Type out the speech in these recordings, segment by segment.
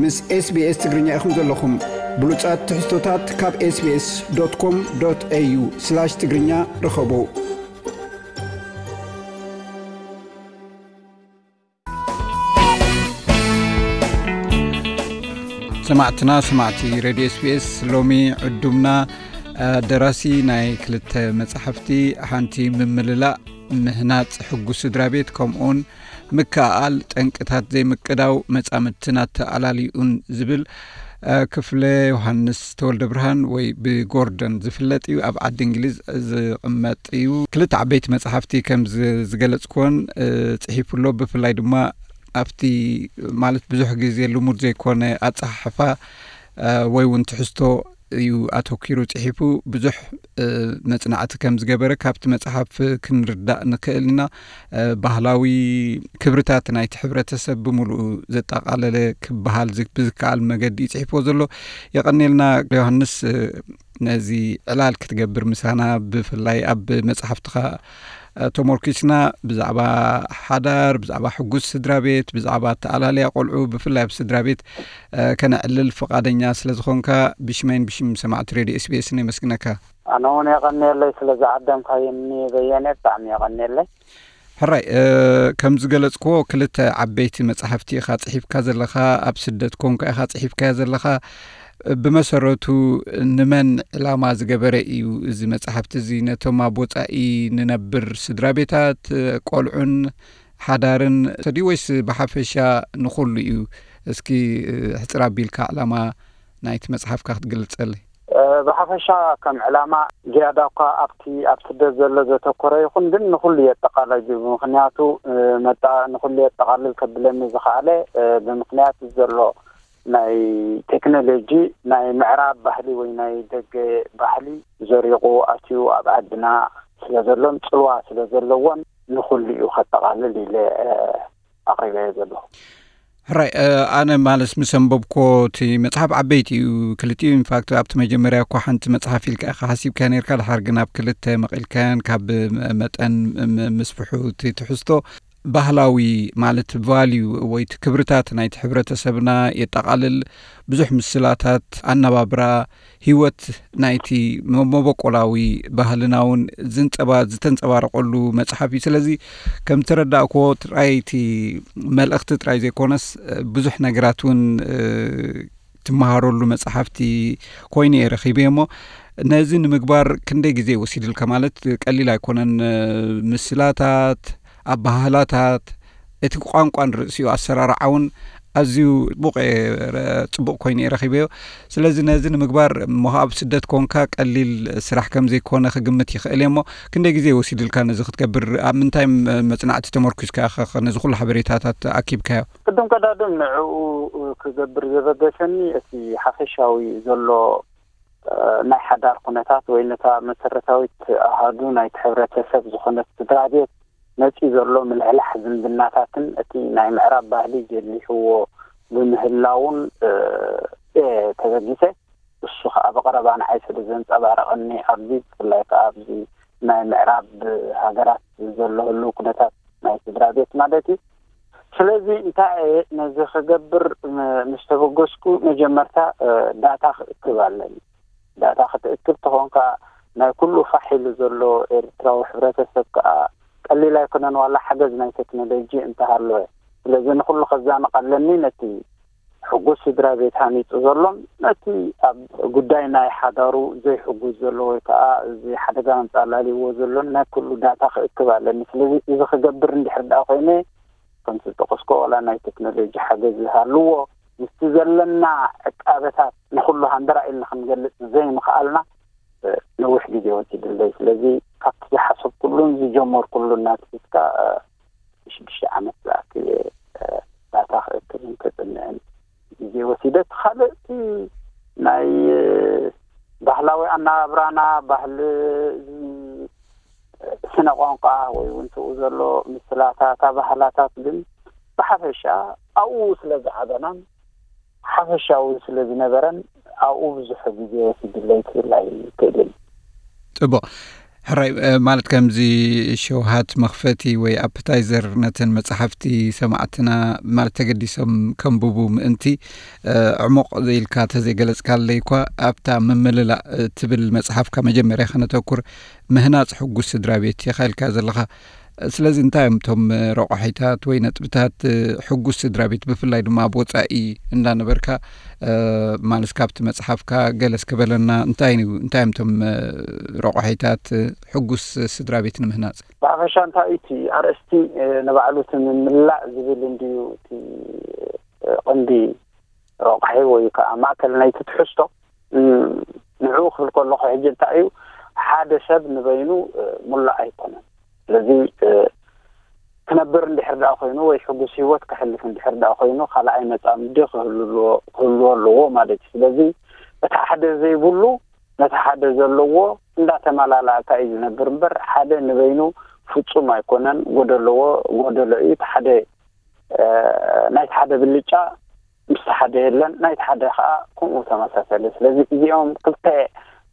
ምስ SBS ትግርኛ ኢኹም ዘለኹም። ብሉጻት ትሕዝቶታት ካብ SBS.com.au/ትግርኛ ርኸቡ። ሰማዕትና፣ ሰማዕቲ ሬድዮ SBS፣ ሎሚ ዕዱምና፣ እ፣ ደራሲ ናይ ክልተ መጻሕፍቲ፣ ሓንቲ ምምልላእ፣ ምህናጽ ሕጉስ ስድራ ቤት፣ ከምኡውን ምክእኣል፣ ጠንቅታት ዘይምቅዳው መጻምድትን ኣተኣላሊኡን ዝብል፣ እ፣ ክፍለ ዮሃንስ ተወልደ ብርሃን ወይ ብጎርደን ዝፍለጥ እዩ። ኣብ ዓዲ እንግሊዝ ዝቕመጥ እዩ። ክልተ ዓበይቲ መጻሕፍቲ ከም ዝ-፣ ዝገለጽኩዎን፣ እ፣ ጽሒፉ ኣሎ። ብፍላይ ድማ ኣብቲ፣ ማለት፣ ብዙሕ ግዜ ልሙድ ዘይኮነ ኣጸሓሕፋ፣ እ፣ ወይ እውን ትሕዝቶ እዩ ኣተኪሩ ጽሒፉ። ብዙሕ፣ እ፣ መጽናዕቲ ከም ዝገበረ ካብቲ መጽሓፍ ክንርዳእ ንክእል ኢና። እ፣ ባህላዊ ክብርታት ናይቲ ሕብረተሰብ ብምሉኡ ዘጠቓለለ ክበሃል ዝ-፣ ብዝከኣል መገዲ እዩ ጽሒፍዎ ዘሎ። የቐንየልና ዮሃንስ፣ እ፣ ነዚ ዕላል ክትገብር ምሳና፣ ብፍላይ ኣብ መጽሓፍትኻ፣ እ፣ ተመርኪስና ብዛዕባ ሓዳር፣ ብዛዕባ ሕጉስ ስድራ ቤት፣ ብዛዕባ ኣተኣላልያ ቆልዑ፣ ብፍላይ ኣብ ስድራ ቤት፣ እ፣ ከነዕልል ፍቓደኛ ስለ ዝኾንካ፣ ብሽመይን ብሽም ሰማዕቲ ሬድዮ SBS ነመስግነካ። ኣነ እውን የቐንየለይ ስለ ዝዓደምካዮኒ በየነ፣ ብጣዕሚ የቐንየለይ። ሕራይ፣ እ፣ ከም ዝገለጽክዎ፣ ክልተ ዓበይቲ መጻሕፍቲ ኢኻ ጽሒፍካ ዘለኻ። ኣብ ስደት ኮንካ ኢኻ ጽሒፍካዮ ዘለኻ። ብመሰረቱ ንመን ዕላማ ዝገበረ እዩ እዚ መጻሕፍቲ እዚ? ነቶም ኣብ ወጻኢ ንነብር ስድራ ቤታት፣ ቆልዑን ሓዳርን ድዩ፣ ወይስ ብሓፈሻ ንኹሉ እዩ? እስኪ፣ እ፣ ሕጽር ኣቢልካ ዕላማ ናይቲ መጽሓፍካ ክትገልጸለይ? እ፣ ብሓፈሻ ከም ዕላማ ዝያዳ እኳ ኣብቲ ኣብ ስደት ዘሎ ዘተኮረ ይኹን፣ ግን ንኹሉ የጠቓልል እዩ። ብምኽንያቱ፣ እ፣ መጣ-፣ ንኹሉ የጠቓልል ከብለኒ ዝኸኣለ፣ እ፣ ብምኽንያት ዘሎ ናይ ቴክኖሎጂ፣ ናይ ምዕራብ ባህሊ ወይ ናይ ደገ ባህሊ ዘሪቑ ኣትዩ ኣብ ዓድና ስለ ዘሎን ጽልዋ ስለ ዘለዎን፣ ንኹሉ እዩ ከጠቓልል ኢለ፣ እ፣ ኣቕሪበዮ ዘለኹ። ሕራይ፣ እ፣ ኣነ ማለት ምስ ኣንበብኮ፣ እቲ መጽሓፍ ዓበይቲ እዩ፣ ክልቲኡ። ኢንፋክት፣ ኣብቲ መጀመርያ እኳ ሓንቲ መጽሓፍ ኢልካ ኢኻ ሓሲብካ ነርካ፣ ድሓር ግን ኣብ ክልተ መቒልካያን፣ ካብ መጠን ም-፣ ምስፍሑ እቲ ትሕዝቶ ባህላዊ፣ ማለት ቫልዩ ወይ እቲ ክብርታት ናይቲ ሕብረተሰብና የጠቓልል። ብዙሕ ምስላታት፣ ኣነባብራ፣ ህይወት ናይቲ መ-፣ መበቆላዊ ባህልና እውን ዝንጸባ-፣ ዝተንጸባረቐሉ መጽሓፍ እዩ። ስለዚ ከም ተረዳእክዎ፣ ጥራይ እቲ መልእኽቲ ጥራይ ዘይኮነስ፣ ብዙሕ ነገራት እውን፣ እ፣ ትመሃረሉ መጽሓፍቲ ኮይኑ እየ ረኺበ እሞ፣ ነዚ ንምግባር ክንደይ ግዜ ወሲድልካ? ማለት ቀሊል ኣይኮነን። ምስላታት፣ ኣበሃህላታት፣ እቲ ቋንቋን ርእሲኡ ኣሰራርዓውን ኣዝዩ ጽቡቕ እየ ረ-፣ ጽቡቕ ኮይኑ እየ ረኺበዮ። ስለዚ ነዚ ንምግባር እሞ ኣብ ስደት ኮንካ ቀሊል ስራሕ ከም ዘይኮነ ክግምት ይኽእል እየ እሞ፣ ክንደይ ግዜ ወሲድልካ ነዚ ክትገብር? ኣብ ምንታይ ም-፣ መጽናዕቲ ተመርኲስካ ኢኻ ኸ ነዚ ኩሉ ሓበሬታታት ኣኪብካዮ? ቅድም ቀዳድም ንዕኡ ክገብር ዘበገሰኒ እቲ ሓፈሻዊ ዘሎ፣ እ፣ ናይ ሓዳር ኩነታት ወይ ነታ መሰረታዊት ኣሃዱ ናይቲ ሕብረተሰብ ዝኾነት ስድራ ቤት መጺኡ ዘሎ ምልሕላሕ ዝምድናታትን እቲ ናይ ምዕራብ ባህሊ ጀሊሕዎ ብምህላውን፣ እ፣ እየ ተበጊሰ። እሱ ኸኣ ብቐረባ ንዓይ ስለ ዘንጸባረቐኒ፣ ኣብዚ ብፍላይ ከኣ ኣብዚ ናይ ምዕራብ ሃገራት ዘሎ ህልው ኩነታት ናይ ስድራ ቤት ማለት እዩ። ስለዚ እንታይ እየ ነዚ ክገብር ም-፣ ምስ ተበገስኩ፣ መጀመርታ፣ እ፣ ዳታ ክእክብ ኣለኒ። ዳታ ክትእክብ ተኾንካ፣ ናይ ኩሉ ፋሕ ኢሉ ዘሎ ኤርትራዊ ሕብረተሰብ ከኣ ቀሊል ኣይኮነን፣ ዋላ ሓገዝ ናይ ቴክኖሎጂ እንተሃለወ። ስለዚ ንኹሉ ከዛንቕ ኣለኒ፣ ነቲ ሕጉስ ስድራ ቤት ሃኒጹ ዘሎን ነቲ ኣብ ጉዳይ ናይ ሓዳሩ ዘይሕጉዝ ዘሎ ወይ ከኣ እዚ ሓደጋ ኣንጻላልይዎ ዘሎን ናይ ኩሉ ዳታ ክእክብ ኣለኒ። ስለዚ እዚ ክገብር እንድሕር ደኣ ኮይነ፣ ከምቲ ዝጠቐስኩ፣ ዋላ ናይ ቴክኖሎጂ ሓገዝ ዝሃልዎ፣ ምስቲ ዘለና ዕቃበታት ንኹሉ ሃንደራ ኢልና ክንገልጽ ዘይምኽኣልና፣ እ፣ ነዊሕ ግዜ ወሲድለይ። ስለዚ ካብቲ ዝሓሰብኩሉን ዝጀመርኩሉን ናትሒዝካ፣ እ፣ ሽዱሽተ ዓመት ዝኣክል እየ፣ እ፣ ዳታ ክእክብን ከጽንዕን ግዜ ወሲደ። እቲ ካልእ እቲ ናይ፣ እ፣ ባህላዊ ኣነባብራና፣ ባህሊ፣ እ፣ ስነ ቋንቋ ወይ እውን ትኡ ዘሎ ምስላታት፣ ኣባህላታት ግን ብሓፈሻ ኣብኡ ስለ ዝዓበናን ሓፈሻዊ ስለ ዝነበረን ኣብኡ ብዙሕ ግዜ ወሲድለይ ክብል ኣይክእልን። ጽቡቕ። ሕራይ ማለት ከምዚ ሸውሃት መኽፈቲ ወይ ኣፕታይዘር ነተን መጽሓፍቲ ሰማዕትና ማለት ተገዲሶም ከንብቡ ምእንቲ ዕሙቕ ኢልካ ተዘይገለጽካለይ እኳ ኣብታ ምምልላእ ትብል መጽሓፍካ መጀመርያ ከነተኩር ምህናጽ ሕጉስ ስድራ ቤት ኢኻ ኢልካ ዘለኻ። ስለዚ እንታይ እዮም እቶም ረቋሒታት ወይ ነጥብታት ሕጉስ ስድራ ቤት ብፍላይ ድማ ኣብ ወጻኢ እንዳነበርካ ማለት ካብቲ መጽሓፍካ ገለ እስከ በለና እንታይ እንታይ እዮም እቶም ረቋሒታት ሕጉስ ስድራ ቤት ንምህናጽ? ብሓፈሻ እንታይ እዩ እቲ ኣርእስቲ ንባዕሉ እቲ ምምላእ ዝብል እንድዩ እቲ ቀንዲ ረቋሒ ወይ ከዓ ማእከል ናይቲ ትሕዝቶ። ንዕኡ ክብል ከለኹ ሕጂ እንታይ እዩ ሓደ ሰብ ንበይኑ ሙሉእ ኣይኮነን። ስለዚ ክነብር እንድሕር ደኣ ኮይኑ ወይ ሕጉስ ህይወት ክሕልፍ እንድሕር ደኣ ኮይኑ ካልኣይ መጻምዲ ክህልዎ ኣለዎ ማለት እዩ። ስለዚ እቲ ሓደ ዘይብሉ ነቲ ሓደ ዘለዎ እንዳተመላላእካ እዩ ዝነብር እምበር ሓደ ንበይኑ ፍጹም ኣይኮነን። ጎደለዎ ጎደሎ እዩ። እቲ ሓደ ናይቲ ሓደ ብልጫ ምስቲ ሓደ የለን፣ ናይቲ ሓደ ከዓ ከምኡ ተመሳሰለ። ስለዚ እዚኦም ክልተ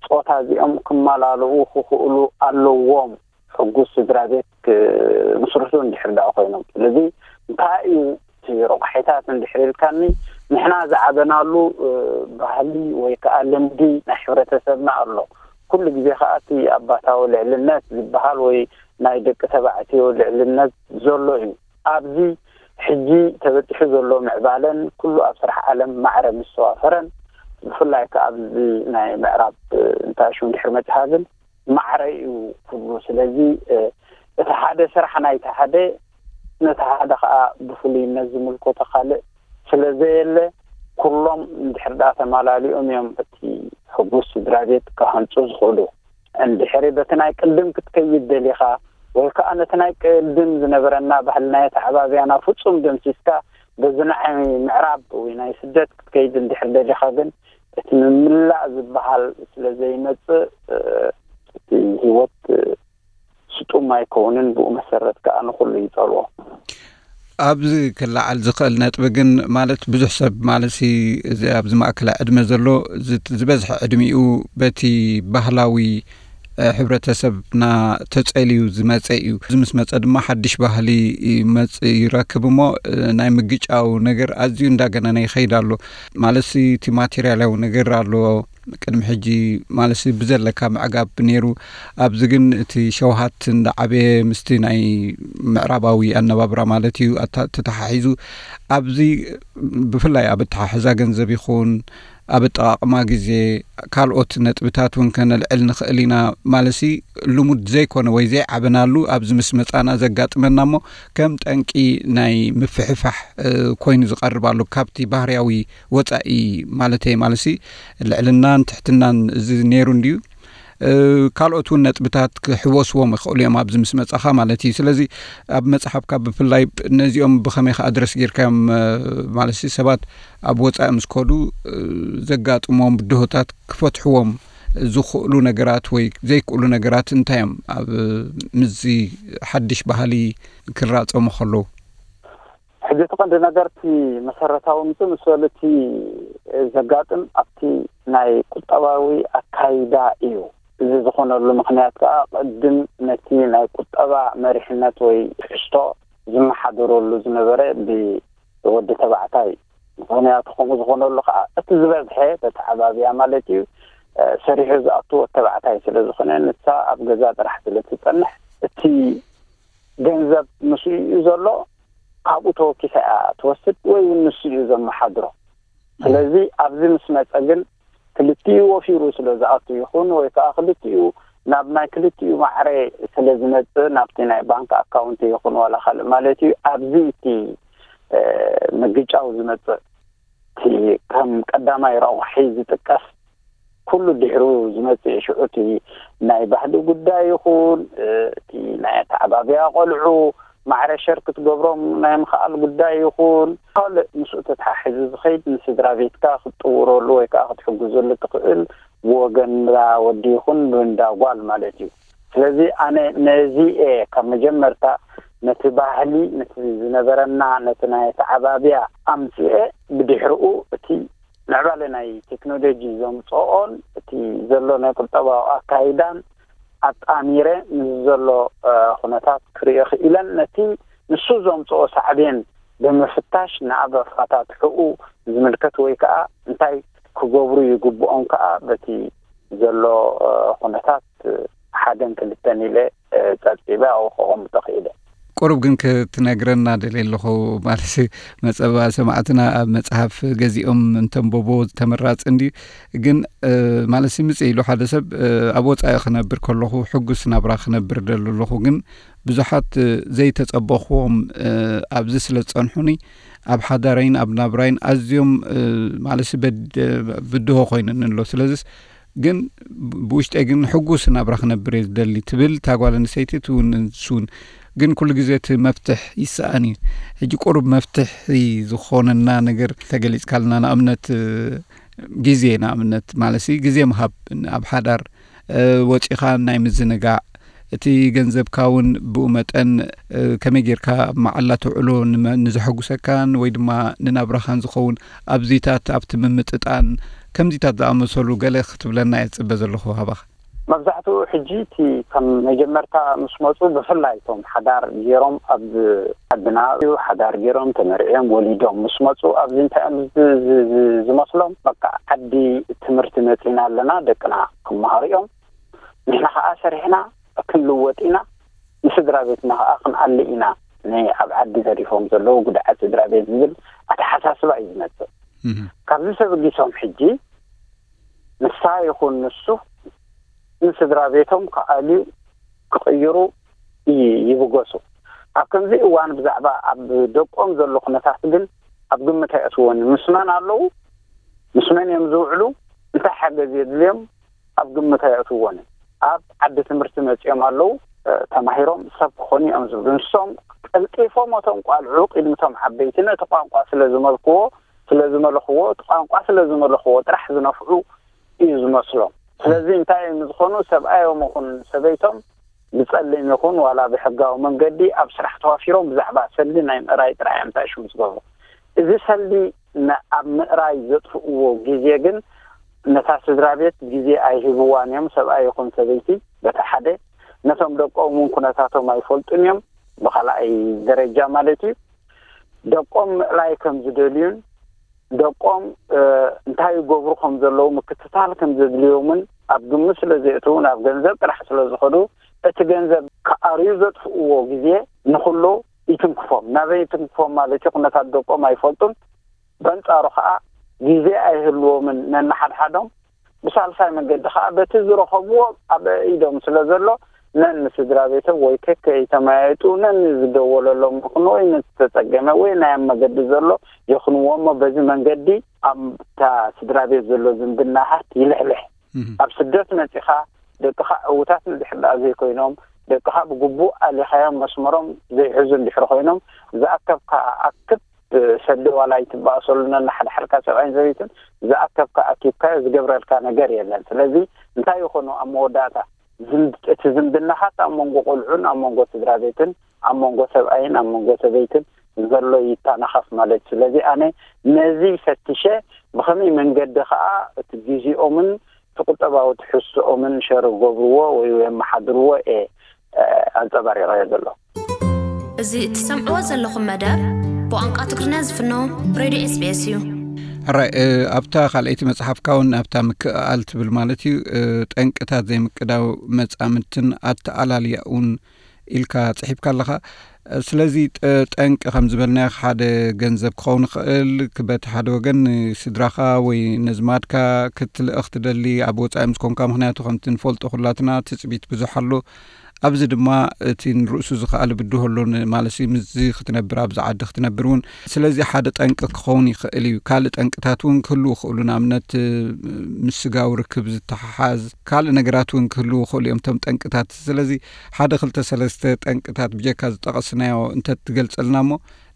ጾታ እዚኦም ክመላልኡ ክኽእሉ ኣለዎም ሕጉስ ስድራ ቤት ክምስርቱ እንድሕር ደኣ ኮይኖም። ስለዚ እንታይ እዩ እቲ ረቋሒታት እንድሕር ኢልካኒ ንሕና ዝዓበናሉ ባህሊ ወይ ከዓ ልምዲ ናይ ሕብረተሰብና ኣሎ። ኩሉ ግዜ ከዓ እቲ ኣባታዊ ልዕልነት ዝበሃል ወይ ናይ ደቂ ተባዕትዮ ልዕልነት ዘሎ እዩ። ኣብዚ ሕጂ ተበጺሑ ዘሎ ምዕባለን ኩሉ ኣብ ስራሕ ዓለም ማዕረ ምስ ተዋፈረን ብፍላይ ከዓ ኣብዚ ናይ ምዕራብ እንታይ ሽም ድሕሪ መጽሃ ግን ማዕረ እዩ ኩሉ። ስለዚ እቲ ሓደ ስራሕ ናይቲ ሓደ ነቲ ሓደ ከዓ ብፍሉይነት ዝምልከቶ ካልእ ስለ ዘየለ ኩሎም እንድሕር ደኣ ተማላሊኦም እዮም እቲ ሕጉስ ስድራ ቤት ክሃንፁ ዝኽእሉ። እንድሕሪ በቲ ናይ ቅድም ክትከይድ ደሊኻ ወይ ከዓ ነቲ ናይ ቅድም ዝነበረና ባህሊ ናይ ኣተዓባብያና ፍጹም ደምሲስካ በዚ ናይ ምዕራብ ወይ ናይ ስደት ክትከይድ እንድሕር ደሊኻ ግን እቲ ምምላእ ዝበሃል ስለ ዘይመጽእ እቲ ህይወት ስጡም ኣይከውንን። ብኡ መሰረት ከዓ ንኹሉ ይጸልዎ። ኣብዚ ክለዓል ዝኽእል ነጥቢ ግን ማለት ብዙሕ ሰብ ማለት እዚ ኣብዚ ማእከላይ ዕድመ ዘሎ ዝበዝሐ ዕድሚኡ በቲ ባህላዊ ሕብረተሰብና ተጸልዩ ዝመጸ እዩ። እዚ ምስ መጸ ድማ ሓድሽ ባህሊ ይመጽ ይረክብ እሞ ናይ ምግጫው ነገር ኣዝዩ እንዳገነነ ይኸይድ ኣሎ። ማለት እቲ ማቴሪያላዊ ነገር ኣሎ። ቅድሚ ሕጂ ማለት ብዘለካ ምዕጋብ ነይሩ። ኣብዚ ግን እቲ ሸውሃት እንዳዓበየ ምስቲ ናይ ምዕራባዊ ኣነባብራ ማለት እዩ ተተሓሒዙ ኣብዚ ብፍላይ ኣብ ኣተሓሕዛ ገንዘብ ይኹን ኣብ ኣጠቓቕማ ግዜ ካልኦት ነጥብታት እውን ከነልዕል ንኽእል ኢና። ማለሲ ልሙድ ዘይኮነ ወይ ዘይዓበናሉ ኣብዚ ምስ መጻና ዘጋጥመና እሞ ከም ጠንቂ ናይ ምፍሕፋሕ ኮይኑ ዝቐርብ ኣሎ። ካብቲ ባህርያዊ ወጻኢ ማለተይ ማለሲ ልዕልናን ትሕትናን እዚ ነይሩ እንድዩ። ካልኦት እውን ነጥብታት ክሕወስዎም ይኽእሉ እዮም ኣብዚ ምስ መጻኻ ማለት እዩ። ስለዚ ኣብ መጽሓፍካ ብፍላይ ነዚኦም ብኸመይ ከ ኣድረስ ጌርካዮም ማለት ሰባት ኣብ ወጻኢ ምስ ከዱ ዘጋጥሞም ብድሆታት ክፈትሕዎም ዝኽእሉ ነገራት ወይ ዘይክእሉ ነገራት እንታይ እዮም ኣብ ምስዚ ሓድሽ ባህሊ ክራጸሙ ከለዉ? ሕጂ እቲ ቀንዲ ነገር እቲ መሰረታዊ ምጽእ ምስ በሉ እቲ ዘጋጥም ኣብቲ ናይ ቁጠባዊ ኣካይዳ እዩ። እዚ ዝኾነሉ ምኽንያት ከዓ ቅድም ነቲ ናይ ቁጠባ መሪሕነት ወይ ትሕዝቶ ዝመሓደረሉ ዝነበረ ብወዲ ተባዕታይ። ምኽንያቱ ከምኡ ዝኾነሉ ከዓ እቲ ዝበዝሐ በቲ ዓባብያ ማለት እዩ ሰሪሑ ዝኣቱ ወዲ ተባዕታይ ስለ ዝኾነ ንሳ ኣብ ገዛ ጥራሕ ስለ ትጸንሕ እቲ ገንዘብ ምስኡ እዩ ዘሎ። ካብኡ ተወኪሳ እያ ትወስድ ወይ እውን ንሱ እዩ ዘመሓድሮ። ስለዚ ኣብዚ ምስ መጸ ግን ክልቲኡ ወፊሩ ስለ ዝኣቱ ይኹን ወይ ከዓ ክልቲኡ ናብ ናይ ክልቲኡ ማዕረ ስለ ዝመጽእ ናብቲ ናይ ባንክ ኣካውንት ይኹን ዋላ ካልእ ማለት እዩ ኣብዚ እቲ ምግጫው ዝመጽእ እቲ ከም ቀዳማይ ረቑሒ ዝጥቀስ ኩሉ ድሕሩ ዝመጽእ ሽዑ እቲ ናይ ባህሊ ጉዳይ ይኹን እቲ ናይ ኣተዓባብያ ቆልዑ ማዕረ ሸር ክትገብሮም ናይ ምኽኣል ጉዳይ ይኹን ካልእ ምስኡ ተተሓሒዙ ዝኸይድ ንስድራ ቤትካ ክትጥውረሉ ወይ ከዓ ክትሕግዘሉ ትኽእል ብወገን እንዳ ወዲ ይኹን ብእንዳ ጓል ማለት እዩ። ስለዚ ኣነ ነዚ እየ ካብ መጀመርታ ነቲ ባህሊ ነቲ ዝነበረና ነቲ ናይ ኣተዓባብያ ኣምፅኤ ብድሕርኡ እቲ ምዕባለ ናይ ቴክኖሎጂ ዘምፅኦን እቲ ዘሎ ናይ ቁጠባዊ ኣካይዳን ኣጣሚረ ምስ ዘሎ ኩነታት ክርእዮ ክኢለን፣ ነቲ ንሱ ዘምፅኦ ሳዕቤን ብምፍታሽ ንኣበፋታትሕኡ ዝምልከት ወይ ከዓ እንታይ ክገብሩ ይግብኦም ከዓ በቲ ዘሎ ኩነታት ሓደን ክልተን ኢለ ፀብፂበ ኣብኡ ከቐምጦ ክኢለ። ቁሩብ ግን ክትነግረና ደልየ ኣለኹ። ማለት መፀባ ሰማዕትና ኣብ መፅሓፍ ገዚኦም እንተንበቦ ተመራፂ እንዲ ግን ማለት ምፅእ ኢሉ ሓደ ሰብ ኣብ ወፃኢ ክነብር ከለኹ ሕጉስ ናብራ ክነብር ደሉ ኣለኹ፣ ግን ብዙሓት ዘይተፀበኽዎም ኣብዚ ስለ ዝፀንሑኒ ኣብ ሓዳረይን ኣብ ናብራይን ኣዝዮም ማለት ብድሆ ኮይነኒ ኣሎ። ስለዚስ ግን ብውሽጠይ ግን ሕጉስ ናብራ ክነብር እየ ዝደሊ ትብል እታ ጓል ኣንስተይቲ፣ እቲ እውን ንሱ እውን። ግን ኩሉ ግዜ እቲ መፍትሕ ይሰኣን እዩ። ሕጂ ቁሩብ መፍትሒ ዝኾነና ነገር ተገሊጽካልና፣ ንኣብነት ግዜ፣ ንኣብነት ማለት ግዜ ምሃብ ኣብ ሓዳር ወፂኻ ናይ ምዝንጋዕ፣ እቲ ገንዘብካ እውን ብኡ መጠን ከመይ ጌርካ ኣብ መዓላ ተውዕሎ ንዘሐጉሰካን ወይ ድማ ንናብራኻን ዝኸውን ኣብዚታት ኣብቲ ምምጥጣን ከምዚታት ዝኣመሰሉ ገለ ክትብለና እየ ዝፅበ ዘለኹ ካባኻ። መብዛሕትኡ ሕጂ እቲ ከም መጀመርታ ምስ መፁ ብፍላይ እቶም ሓዳር ገይሮም ኣብ ዓድና ሓዳር ገይሮም ተመርዕዮም ወሊዶም ምስ መፁ ኣብዚ እንታይ እዮም ዝመስሎም? በቃ ዓዲ ትምህርቲ መፂና ኣለና፣ ደቅና ክመሃሩ እዮም፣ ንሕና ከዓ ሰሪሕና ክንልወጥ ኢና፣ ንስድራ ቤትና ከዓ ክንኣሊ ኢና፣ ናይ ኣብ ዓዲ ተሪፎም ዘለዉ ጉድዓት ስድራ ቤት ዝብል ኣተሓሳስባ እዩ ዝመፅእ። ካብዚ ተበጊሶም ሕጂ ንሳ ይኹን ንሱ ንስድራ ቤቶም ክኣልዩ ክቕይሩ ይብገሱ። ኣብ ከምዚ እዋን ብዛዕባ ኣብ ደቆም ዘሎ ኩነታት ግን ኣብ ግምት ኣይኣትዎን። ምስ መን ኣለዉ፣ ምስ መን እዮም ዝውዕሉ፣ እንታይ ሓገዝ የድልዮም ኣብ ግምት ኣይኣትዎን። ኣብ ዓዲ ትምህርቲ መፂኦም ኣለዉ፣ ተማሂሮም ሰብ ክኾኑ እዮም ዝብሉ። ንሶም ቀልጢፎም እቶም ቋልዑ ቅድሚ እቶም ዓበይቲ ነቲ ቋንቋ ስለ ዝመልክዎ ስለ ዝመለኽዎ፣ እቲ ቋንቋ ስለ ዝመለኽዎ ጥራሕ ዝነፍዑ እዩ ዝመስሎም። ስለዚ እንታይ እዮም ዝኾኑ? ሰብኣዮም ይኹን ሰበይቶም ብፀሊም ይኹን ዋላ ብሕጋዊ መንገዲ ኣብ ስራሕ ተዋፊሮም ብዛዕባ ሰልዲ ናይ ምእራይ ጥራሕ እዮም ታሽሙ ዝገብሩ። እዚ ሰልዲ ኣብ ምእራይ ዘጥፍእዎ ግዜ ግን ነታ ስድራ ቤት ግዜ ኣይህብዋን እዮም፣ ሰብኣይ ይኹን ሰበይቲ። በቲ ሓደ ነቶም ደቆም እውን ኩነታቶም ኣይፈልጡን እዮም፣ ብካልኣይ ደረጃ ማለት እዩ። ደቆም ምእላይ ከም ዝደልዩን ደቆም እንታይ ይገብሩ ከም ዘለዉ ምክትታል ከም ዘድልዮምን ኣብ ግምት ስለ ዘእትዉ ናብ ገንዘብ ጥራሕ ስለ ዝኸዱ እቲ ገንዘብ ክኣርዩ ዘጥፍእዎ ግዜ ንኩሉ ይትንክፎም። ናበይ ይትንክፎም ማለት እዩ? ኩነታት ደቆም ኣይፈልጡን። በንጻሩ ከዓ ግዜ ኣይህልዎምን ነንሓድሓዶም። ብሳልሳይ መንገዲ ከዓ በቲ ዝረኸብዎ ኣብ ኢዶም ስለ ዘሎ ነንስድራ ቤቶም ወይ ከከይተመያየጡ ነንዝደወለሎም ይኹን ወይ ነዝተጸገመ ወይ ናይ ኣብ መገዲ ዘሎ ይኹንዎ እሞ በዚ መንገዲ ኣብታ ስድራ ቤት ዘሎ ዝምድናታት ይልሕልሕ። ኣብ ስደት መጺኻ ደቅኻ ዕዉታት እንድሕር ደኣ ዘይኮይኖም፣ ደቅኻ ብግቡእ ኣሊኻዮም መስመሮም ዘይሕዙ እንድሕር ኮይኖም፣ ዝኣከብካ ኣክብ ሰዲ ዋላ ኣይትበኣሰሉ ነንሓድሓድካ ሰብኣይን ሰበይትን ዝኣከብካ ኣኪብካዮ ዝገብረልካ ነገር የለን። ስለዚ እንታይ ይኾኑ ኣብ መወዳእታ ዝም- እቲ ዝምድናኻት ኣብ መንጎ ቆልዑን ኣብ መንጎ ስድራ ቤትን ኣብ መንጎ ሰብኣይን ኣብ መንጎ ሰበይትን ዘሎ ይተናኸፍ ማለት እዩ። ስለዚ ኣነ ነዚ ፈትሸ ብኸመይ መንገዲ ኸኣ እቲ ግዜኦምን እቲ ቁጠባዊ ትሕዝቶኦምን ሸር ገብርዎ ወይ የመሓድርዎ እየ ኣንጸባሪቐዮ ዘሎ። እዚ እትሰምዕዎ ዘለኹም መደብ ብቋንቋ ትግርኛ ዝፍኖ ሬድዮ ኤስቢኤስ እዩ። ሕራይ ኣብታ ካልኣይቲ መጽሓፍካ እውን ኣብታ ምክእኣል ትብል ማለት እዩ፣ ጠንቅታት ዘይምቅዳው መጻምድትን ኣተኣላልያኡን ኢልካ ጽሒፍካ ኣለኻ። ስለዚ ጠንቂ ከም ዝበልናዮ ሓደ ገንዘብ ክኸውን ይኽእል፣ በቲ ሓደ ወገን ንስድራኻ ወይ ነዝማድካ ክትልእኽ ትደሊ ኣብ ወጻኢ ምስ ኮንካ፣ ምኽንያቱ ከምቲ ንፈልጦ ኩላትና ትጽቢት ብዙሕ ኣሎ። ኣብዚ ድማ እቲ ንርእሱ ዝኸኣለ ብድሆ ኣሎ ማለት ምስዚ ክትነብር ኣብዚ ዓዲ ክትነብር እውን። ስለዚ ሓደ ጠንቂ ክኸውን ይኽእል እዩ። ካልእ ጠንቅታት እውን ክህልዉ ይኽእሉ፣ ንኣብነት ምስ ስጋዊ ርክብ ዝተሓሓዝ ካልእ ነገራት እውን ክህልዉ ይኽእሉ እዮም እቶም ጠንቅታት። ስለዚ ሓደ ክልተ ሰለስተ ጠንቅታት ብጀካ ዝጠቐስናዮ እንተትገልጸልና እሞ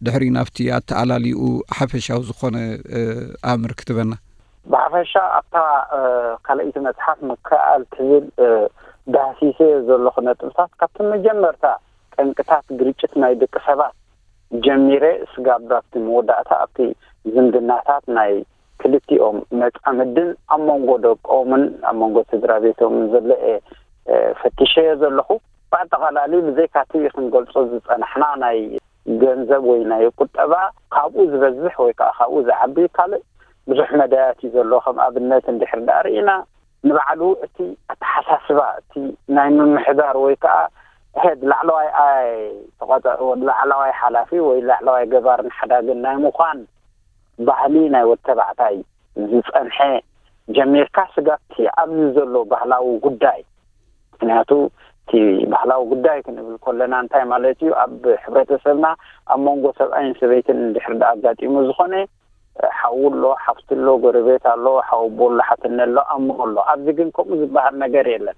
ድሕሪኡ ናብቲ ኣተኣላልይኡ ሓፈሻዊ ዝኾነ ኣምር ክትበና። ብሓፈሻ ኣብታ ካልኣይቲ መጽሓፍ ምክእኣል ትብል ዳህሲሰ ዘለኹ ነጥብታት ካብቲ መጀመርታ ጠንቅታት ግርጭት ናይ ደቂ ሰባት ጀሚረ ስጋብ ኣብቲ መወዳእታ ኣብቲ ዝምድናታት ናይ ክልቲኦም መጻምድን ኣብ መንጎ ደቆምን ኣብ መንጎ ስድራ ቤቶምን ዘሎ እየ ፈቲሸዮ ዘለኹ። ብኣጠቓላሊ ብዘይካቲ ክንገልጾ ዝጸናሕና ናይ ገንዘብ ወይ ናይ ቁጠባ ካብኡ ዝበዝሕ ወይ ከዓ ካብኡ ዝዓቢ ካልእ ብዙሕ መዳያት እዩ ዘሎ። ከም ኣብነት እንድሕር ደኣ ርኢና ንባዕሉ እቲ ኣተሓሳስባ እቲ ናይ ምምሕዳር ወይ ከዓ ሄድ ላዕለዋይ ኣይ ተቆጸ ላዕለዋይ ሓላፊ ወይ ላዕለዋይ ገባርን ሓዳግን ናይ ምዃን ባህሊ ናይ ወድ ተባዕታይ ዝጸንሐ ጀሚርካ ስጋብቲ ኣብዚ ዘሎ ባህላዊ ጉዳይ። ምክንያቱ እቲ ባህላዊ ጉዳይ ክንብል ከለና እንታይ ማለት እዩ? ኣብ ሕብረተሰብና ኣብ መንጎ ሰብኣይን ሰበይትን እንድሕር ደኣ ኣጋጢሙ ዝኾነ ሓዉ ኣሎ፣ ሓፍቲ ኣሎ፣ ጎረቤት ኣሎ፣ ሓወቦ ኣሎ፣ ሓትነ ኣሎ፣ ኣሞ ኣሎ። ኣብዚ ግን ከምኡ ዝበሃል ነገር የለን።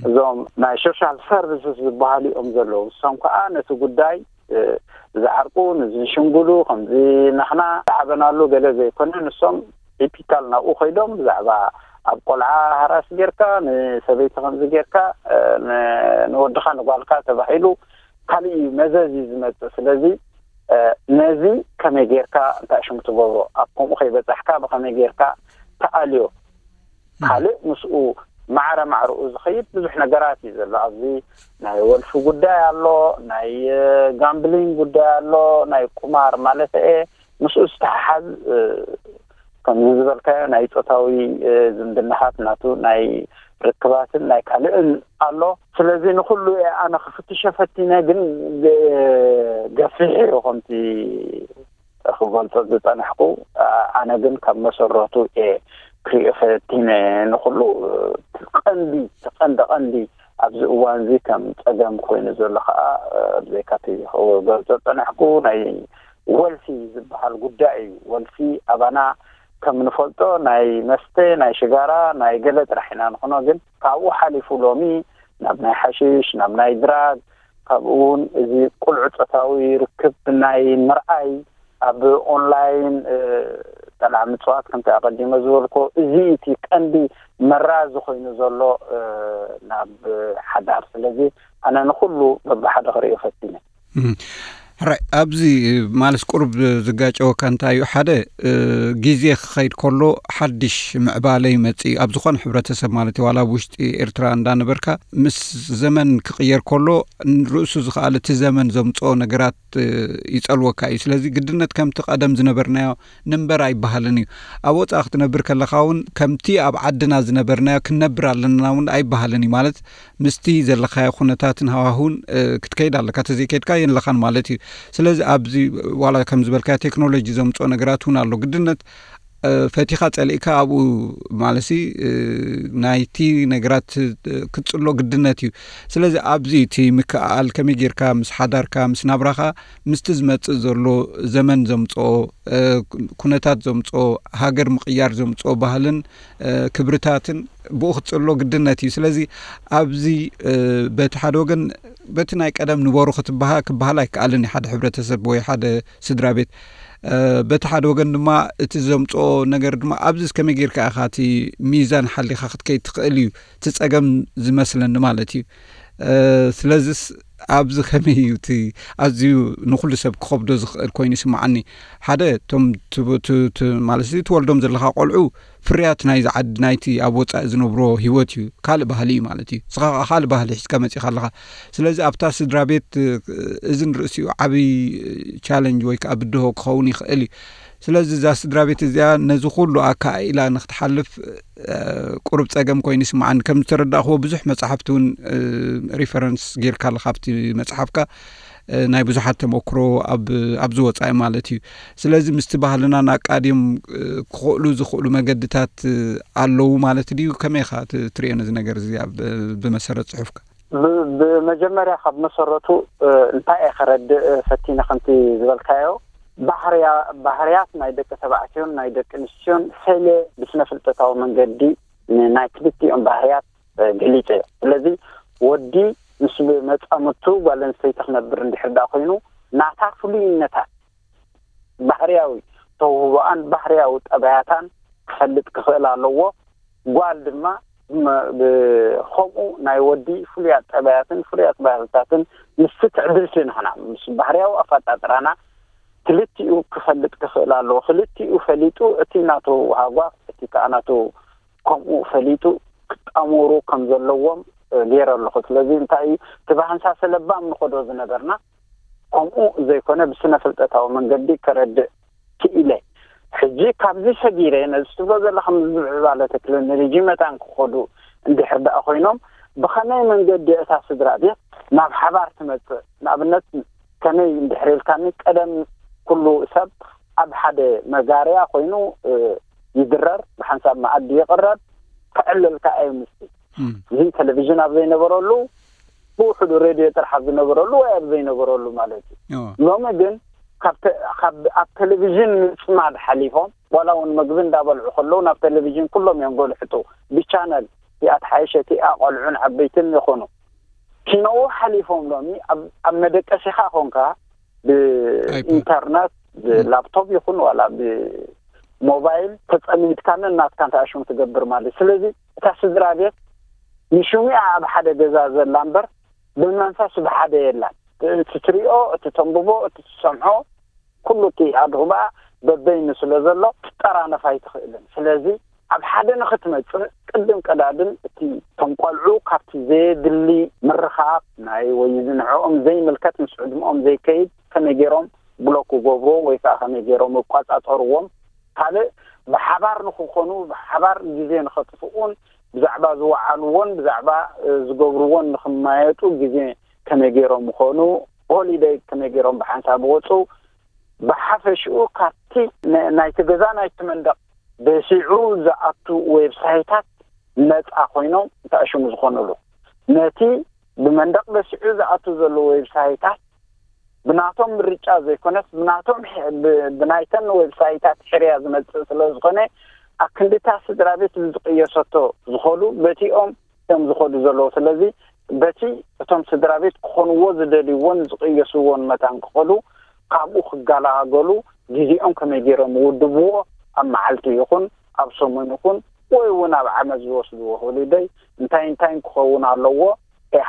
እዞም ናይ ሶሻል ሰርቪስስ ዝበሃሉ እዮም ዘለዉ። እሶም ከዓ ነቲ ጉዳይ ዝዓርቁ፣ ንዝሽምግሉ፣ ከምዚ ናኽና ዝዓበናሉ ገለ ዘይኮነ፣ ንሶም ቲፒካል ናብኡ ከይዶም ብዛዕባ ኣብ ቆልዓ ሃራስ ጌርካ፣ ንሰበይቲ ከምዚ ጌርካ፣ ንወድኻ ንጓልካ ተባሂሉ ካልእ እዩ መዘዝ እዩ ዝመጽእ። ስለዚ ነዚ ከመይ ጌርካ እንታይ ሽሙ ትገብሮ፣ ኣብ ከምኡ ከይበጻሕካ ብኸመይ ጌርካ ትኣልዮ። ካልእ ምስኡ ማዕረ ማዕረኡ ዝኸይድ ብዙሕ ነገራት እዩ ዘሎ። ኣብዚ ናይ ወልፊ ጉዳይ ኣሎ፣ ናይ ጋምብሊንግ ጉዳይ ኣሎ፣ ናይ ቁማር ማለት እየ። ምስኡ ዝተሓሓዝ ከምዚ ዝበልካዮ ናይ ጾታዊ ዝምድናታት ናቱ ናይ ርክባትን ናይ ካልእን ኣሎ። ስለዚ ንኹሉ እየ ኣነ ክፍትሾ ፈቲነ፣ ግን ገፊሕ እዩ ከምቲ ክገልጾ ዝጸናሕኩ። ኣነ ግን ካብ መሰረቱ እየ ክሪኦ ፈቲነ። ንኹሉ ቀንዲ ቀንዲ ቀንዲ ኣብዚ እዋን እዚ ከም ጸገም ኮይኑ ዘሎ ከዓ ብዘይካቲ ክገልጾ ዝጸናሕኩ ናይ ወልፊ ዝበሃል ጉዳይ እዩ። ወልፊ ኣባና ከም ንፈልጦ ናይ መስተ፣ ናይ ሽጋራ፣ ናይ ገለ ጥራሕ ኢና ንኾኖ። ግን ካብኡ ሓሊፉ ሎሚ ናብ ናይ ሓሽሽ፣ ናብ ናይ ድራግ፣ ካብኡ እውን እዚ ቁልዑ ጾታዊ ርክብ ናይ ምርኣይ ኣብ ኦንላይን ጠላዕ ምጽዋት ከምቲ ኣቐዲመ ዝበልኮ እዚ እቲ ቀንዲ መራዚ ኮይኑ ዘሎ ናብ ሓዳር። ስለዚ ኣነ ንኹሉ በብሓደ ክርእዮ ፈቲነ። ሕራይ ኣብዚ ማለት ቁሩብ ዝጋጨወካ እንታይ እዩ? ሓደ ግዜ ክኸይድ ከሎ ሓድሽ ምዕባለ ይመጽእ እዩ ኣብ ዝኾነ ሕብረተሰብ ማለት እዩ። ዋላ ኣብ ውሽጢ ኤርትራ እንዳነበርካ ምስ ዘመን ክቕየር ከሎ ንርእሱ ዝኸኣለ እቲ ዘመን ዘምጽኦ ነገራት ይጸልወካ እዩ። ስለዚ ግድነት ከምቲ ቀደም ዝነበርናዮ ንንበር ኣይበሃልን እዩ። ኣብ ወጻኢ ክትነብር ከለኻ እውን ከምቲ ኣብ ዓድና ዝነበርናዮ ክንነብር ኣለና እውን ኣይበሃልን እዩ። ማለት ምስቲ ዘለኻዮ ኩነታትን ሃዋህውን ክትከይድ ኣለካ። ተዘይከድካ የለኻን ማለት እዩ። ስለዚ ኣብዚ ዋላ ከም ዝበልካ ቴክኖሎጂ ዘምፅኦ ነገራት እውን ኣሎ። ግድነት ፈቲኻ ጸሊእካ ኣብኡ ማለሲ ናይቲ ነገራት ክትጽሎ ግድነት እዩ። ስለዚ ኣብዚ እቲ ምክኣል ከመይ ጌርካ ምስ ሓዳርካ ምስ ናብራኻ ምስቲ ዝመጽእ ዘሎ ዘመን ዘምጽኦ ኩነታት ዘምጽኦ ሃገር ምቕያር ዘምጽኦ ባህልን ክብርታትን ብኡ ክትጽሎ ግድነት እዩ። ስለዚ ኣብዚ በቲ ሓደ ወገን በቲ ናይ ቀደም ንበሩ ክትበሃ ክበሃል ኣይከኣልን እዩ። ሓደ ሕብረተሰብ ወይ ሓደ ስድራ ቤት በቲ ሓደ ወገን ድማ እቲ ዘምፅኦ ነገር ድማ ኣብዚ ከመይ ጌርካ ኢኻ እቲ ሚዛን ሓሊኻ ክትከይድ ትኽእል እዩ እቲ ፀገም ዝመስለኒ ማለት እዩ። ስለዚስ ኣብዚ ከመይ እዩ እቲ ኣዝዩ ንኩሉ ሰብ ክኸብዶ ዝኽእል ኮይኑ ይስምዓኒ። ሓደ እቶም ማለት ትወልዶም ዘለኻ ቆልዑ ፍርያት ናይዚ ዓዲ ናይቲ ኣብ ወፃኢ ዝነብሮ ህይወት እዩ። ካልእ ባህሊ እዩ ማለት እዩ። ንስኻ ከዓ ካልእ ባህሊ ሒዝካ መፂእካ ኣለኻ። ስለዚ ኣብታ ስድራ ቤት እዚ ንርእሲኡ ዓብዪ ቻለንጅ ወይ ከዓ ብድሆ ክኸውን ይኽእል እዩ። ስለዚ እዛ ስድራ ቤት እዚኣ ነዚ ኩሉ ኣካኢላ ንክትሓልፍ ቁሩብ ፀገም ኮይኑ ይስምዓኒ። ከም ዝተረዳእክዎ ብዙሕ መፅሓፍቲ እውን ሪፈረንስ ጌርካ ኣለካ ኣብቲ መፅሓፍካ ናይ ብዙሓት ተመክሮ ኣብዚ ወፃኢ ማለት እዩ። ስለዚ ምስቲ ባህልናን ኣቃድዮም ክኽእሉ ዝኽእሉ መገድታት ኣለዉ ማለት ድዩ? ከመይ ኢኻ ትርእዮ ነዚ ነገር እዚ ብመሰረት ፅሑፍካ? ብመጀመርያ ካብ መሰረቱ እንታይ እየ ከረድእ ፈቲነ ከምቲ ዝበልካዮ ባህርያት ናይ ደቂ ተባዕትዮን ናይ ደቂ ኣንስትዮን ፈለ ብስነ ፍልጠታዊ መንገዲ ናይ ክልቲኦም ባህርያት ገሊፀ እየ። ስለዚ ወዲ ምስ መፃምቱ ጓል ኣንስተይቲ ክነብር እንድሕር ዳ ኮይኑ ናታ ፍሉይነታት ባህርያዊ ተውህቦኣን ባህርያዊ ጠባያታን ክፈልጥ ክኽእል ኣለዎ። ጓል ድማ ብኸምኡ ናይ ወዲ ፍሉያት ጠባያትን ፍሉያት ባህርታትን ምስ ትዕድልቲ ንሕና ምስ ባህርያዊ ኣፈጣጥራና ክልቲኡ ክፈልጥ ክኽእል ኣለዎ። ክልቲኡ ፈሊጡ እቲ ናቱ ሃጓፍ እቲ ከዓ ናቱ ከምኡ ፈሊጡ ክጣመሩ ከም ዘለዎም ገይረ ኣለኹ። ስለዚ እንታይ እዩ እቲ ብሃንሳሰ ለባም ንኸዶ ዝነበርና ከምኡ ዘይኮነ ብስነ ፍልጠታዊ መንገዲ ከረድእ ክኢለ። ሕጂ ካብዚ ሰጊረ ነዚ ትብሎ ዘለኻ ምዝብዕባለ ቴክኖሎጂ መታን ክኸዱ እንድሕር ደኣ ኮይኖም ብኸመይ መንገዲ እታ ስድራ ቤት ናብ ሓባር ትመጽእ? ንኣብነት ከመይ እንድሕር ኢልካኒ ቀደም ኩሉ ሰብ ኣብ ሓደ መጋርያ ኮይኑ ይድረር፣ ብሓንሳብ መኣዲ ይቕረብ፣ ክዕልልካ እዩ ምስቲ እዚ ቴሌቪዥን ኣብ ዘይነበረሉ ብውሕዱ ሬድዮ ጥራሕ ኣብ ዝነበረሉ ወይ ኣብ ዘይነበረሉ ማለት እዩ። ሎሚ ግን ካብ ኣብ ቴሌቪዥን ምፅማድ ሓሊፎም ዋላ እውን መግቢ እንዳበልዑ ከለዉ ናብ ቴሌቪዥን ኩሎም እዮም ጎልሕጡ። ብቻነል እቲኣ ተሓየሸ እቲኣ ቆልዑን ዓበይትን ይኾኑ ኪነዉ ሓሊፎም ሎሚ ኣብ መደቀሲኻ ኮንካ ብኢንተርነት ብላፕቶፕ ይኹን ዋላ ብሞባይል ተፀሚድካንን ናትካን ተኣሽሙ ትገብር ማለት። ስለዚ እታ ስድራ ቤት ንሽሙ እያ ኣብ ሓደ ገዛ ዘላ እምበር ብመንፈስ ብሓደ የላን። እቲ ትሪኦ፣ እቲ ተንብቦ፣ እቲ ትሰምዖ ኩሉ እቲ ኣድሁባኣ በበይኑ ስለ ዘሎ ክትጠራነፍ ኣይትኽእልን። ስለዚ ኣብ ሓደ ንኽትመጽእ ቅድም ቀዳድም እቲ ቶም ቆልዑ ካብቲ ዘየድሊ ምርኻብ ናይ ወይ ንዕኦም ዘይምልከት ምስ ዕድመኦም ዘይከይድ ከመይ ገይሮም ብሎክ ክገብርዎ ወይ ከዓ ከመይ ገይሮም ይቋጻጸርዎም ካልእ ብሓባር ንክኾኑ ብሓባር ግዜ ንኸጥፍኡን ብዛዕባ ዝወዓልዎን ብዛዕባ ዝገብርዎን ንክማየጡ ግዜ ከመይ ገይሮም ምኾኑ ሆሊደይ ከመይ ገይሮም ብሓንሳብ ወፁ ብሓፈሽኡ ካብቲ ናይቲ ገዛ ናይቲ መንደቕ በሲዑ ዝኣቱ ዌብሳይታት ነፃ ኮይኖም ተኣሽሙ ዝኾኑሉ ነቲ ብመንደቕ በሲዑ ዝኣቱ ዘሎ ዌብሳይታት ብናቶም ምርጫ ዘይኮነስ ብናቶም ብናይተን ዌብሳይታት ሕርያ ዝመፅእ ስለ ዝኾነ ኣክንድታ ስድራ ቤት ዝቅየሰቶ ዝኾኑ በቲኦም እዮም ዝኸዱ ዘለዉ። ስለዚ በቲ እቶም ስድራ ቤት ክኾንዎ ዝደልይዎን ዝቅየስዎን መታን ክኸዱ ካብኡ ክገላገሉ ግዜኦም ከመይ ገይሮም ይውድብዎ ኣብ መዓልቲ ይኹን ኣብ ሰሙን ይኹን ወይ እውን ኣብ ዓመት ዝወስድዎ ሆሊደይ እንታይ እንታይን ክኸውን ኣለዎ።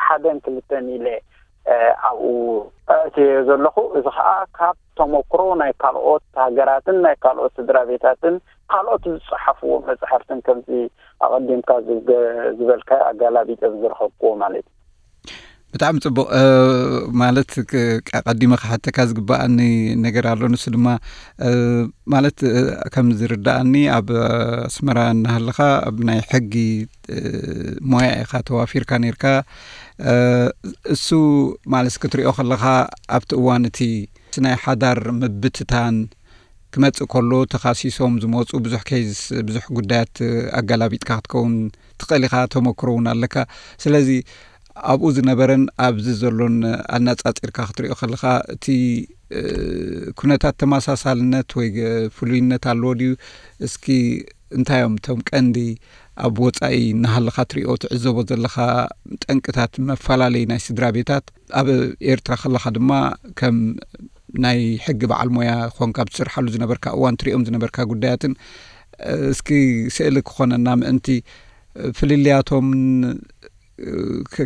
ሓደን ክልተን ኢለ ኣብኡ ኣእትዮ ዘለኹ። እዚ ከዓ ካብ ተመክሮ ናይ ካልኦት ሃገራትን ናይ ካልኦት ስድራ ቤታትን ካልኦት ዝፀሓፍዎ መፅሓፍትን ከምዚ ኣቐዲምካ ዝበልካ ኣጋላቢጠ ዝረኸብክዎ ማለት እዩ። ብጣዕሚ ፅቡቕ። ማለት ቀዲመ ክሓተካ ዝግበኣኒ ነገር ኣሎ። ንሱ ድማ ማለት ከም ዝርዳኣኒ ኣብ ኣስመራ እናሃለኻ ኣብ ናይ ሕጊ ሞያ ኢኻ ተዋፊርካ ነርካ። እሱ ማለት ክትሪኦ ከለኻ ኣብቲ እዋን እቲ ናይ ሓዳር ምብትታን ክመጽእ ከሎ ተኻሲሶም ዝመጹ ብዙሕ ኬዝ ብዙሕ ጉዳያት ኣጋላቢጥካ ክትከውን ትኽእል ኢኻ። ተመክሮ እውን ኣለካ። ስለዚ ኣብኡ ዝነበረን ኣብዚ ዘሎን ኣነጻጺርካ ክትሪኦ ከለኻ እቲ ኩነታት ተመሳሳልነት ወይ ፍሉይነት ኣለዎ ድዩ? እስኪ እንታይ እዮም እቶም ቀንዲ ኣብ ወጻኢ እናሃለኻ ትሪኦ ትዕዘቦ ዘለኻ ጠንቅታት መፈላለዪ ናይ ስድራ ቤታት? ኣብ ኤርትራ ከለኻ ድማ ከም ናይ ሕጊ በዓል ሞያ ኮንካ ኣብ ትሰርሓሉ ዝነበርካ እዋን ትሪኦም ዝነበርካ ጉዳያትን እስኪ ስእሊ ክኾነና ምእንቲ ፍልልያቶምን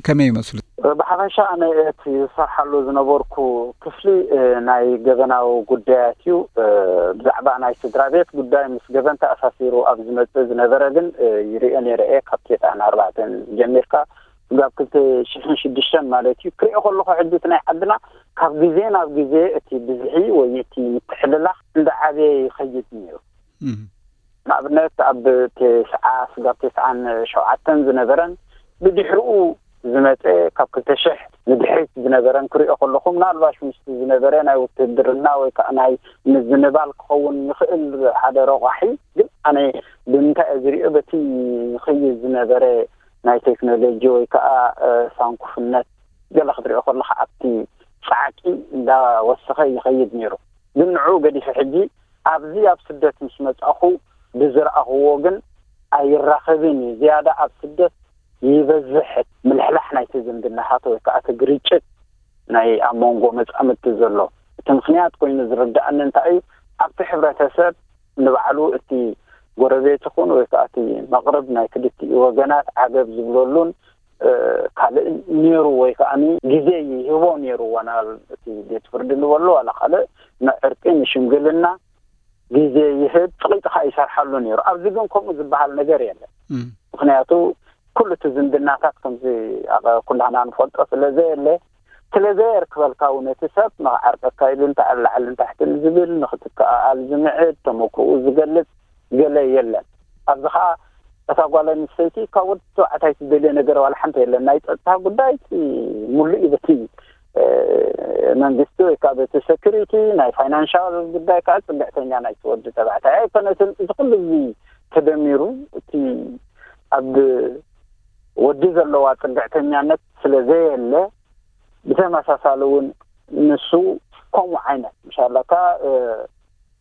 ከመይ ይመስሉ? ብሓፈሻ ኣነ እቲ ዝሰርሓሉ ዝነበርኩ ክፍሊ ናይ ገበናዊ ጉዳያት እዩ። ብዛዕባ ናይ ስድራ ቤት ጉዳይ ምስ ገበን ተኣሳሲሩ ኣብ ዝመፅእ ዝነበረ ግን ይሪኦ ነይረ እየ። ካብ ቴጣን ኣርባዕተን ጀሚርካ ስጋብ ክልተ ሽሕን ሽዱሽተን ማለት እዩ። ክሪኦ ከለኹ ሕጂ እቲ ናይ ዓድና ካብ ግዜ ናብ ግዜ እቲ ብዝሒ ወይ እቲ ምትሕልላኽ እንዳዓበየ ይኸይድ ነይሩ። ንኣብነት ኣብ ቴስዓ ስጋብ ቴስዓን ሸውዓተን ዝነበረን ብድሕሪኡ ዝመፀ ካብ ክልተ ሽሕ ንድሕሪት ዝነበረን ክሪኦ ከለኹ ምናልባሽ ምስቲ ዝነበረ ናይ ውትድርና ወይ ከዓ ናይ ምዝንባል ክኸውን ይኽእል ሓደ ረቋሒ ግን ኣነ ብምንታይ እየ ዝሪኦ በቲ ይኸይድ ዝነበረ ናይ ቴክኖሎጂ ወይ ከዓ ሳንኩፍነት ገለ ክትሪኦ ከለካ ኣብቲ ፃዕቂ እንዳወሰኸ ይኸይድ ነይሩ። ግን ንዕኡ ገዲፈ ሕጂ ኣብዚ ኣብ ስደት ምስ መፃኹ ብዝረኣኽዎ ግን ኣይራኸብን እዩ። ዝያዳ ኣብ ስደት ይበዝሕ ምልሕላሕ ናይቲ ዝምድናታት ወይ ከዓ እቲ ግርጭት ናይ ኣብ መንጎ መፃምድቲ ዘሎ። እቲ ምኽንያት ኮይኑ ዝርድኣኒ እንታይ እዩ ኣብቲ ሕብረተሰብ ንባዕሉ እቲ ጎረቤት ይኹን ወይ ከዓ እቲ መቕርብ ናይ ክልቲኡ ወገናት ዓገብ ዝብለሉን ካልእ ነይሩ ወይ ከዓ ግዜ ይህቦ ነይሩ ዋና እቲ ቤት ፍርዲ ንበሎ ዋላ ካልእ ንዕርቂ ንሽምግልና ግዜ ይህብ ፅቂጥካ ይሰርሓሉ ነይሩ። ኣብዚ ግን ከምኡ ዝበሃል ነገር የለን። ምክንያቱ ኩሉ እቲ ዝምድናታት ከምዚ ኩላህና ንፈልጦ ስለ ዘየለ፣ ስለ ዘየርክበልካ እውን እቲ ሰብ ንኽዓርቀካ ኢሉ እንተ ኣላዕልን ታሕትን ዝብል፣ ንኽትከኣኣል ዝምዕድ፣ ተመክሮኡ ዝገልጽ ገለ የለን። ኣብዚ ኸኣ እታ ጓል ኣንስተይቲ ካብ ወዲ ተባዕታይ ትደልዮ ነገር ዋላ ሓንቲ የለን። ናይ ጸጥታ ጉዳይ እቲ ሙሉእ እዩ፣ በቲ መንግስቲ ወይ ከዓ በቲ ሰኪሪቲ፣ ናይ ፋይናንሻል ጉዳይ ከዓ ጽግዕተኛ ናይቲ ወዲ ተባዕታይ ኣይኮነትን። እዚ ኩሉ እዚ ተደሚሩ እቲ ኣብ ወዲ ዘለዋ ጽግዕተኛነት ስለ ዘየለ፣ ብተመሳሳሊ እውን ንሱ ከምኡ ዓይነት ምሻላካ